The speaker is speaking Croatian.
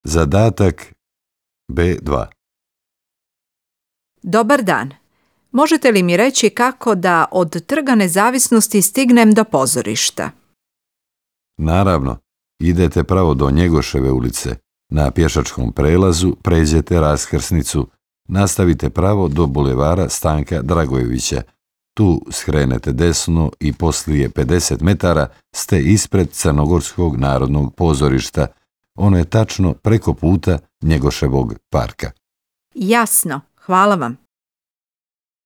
Zadatak B2. Dobar dan. Možete li mi reći kako da od Trga Nezavisnosti stignem do pozorišta? Naravno, idete pravo do Njegoševe ulice. Na pješačkom prelazu pređete raskrsnicu. Nastavite pravo do bulevara Stanka Dragojevića. Tu skrenete desno i poslije 50 metara ste ispred Crnogorskog narodnog pozorišta. Ono je tačno preko puta Njegoševog parka. Jasno, hvala vam.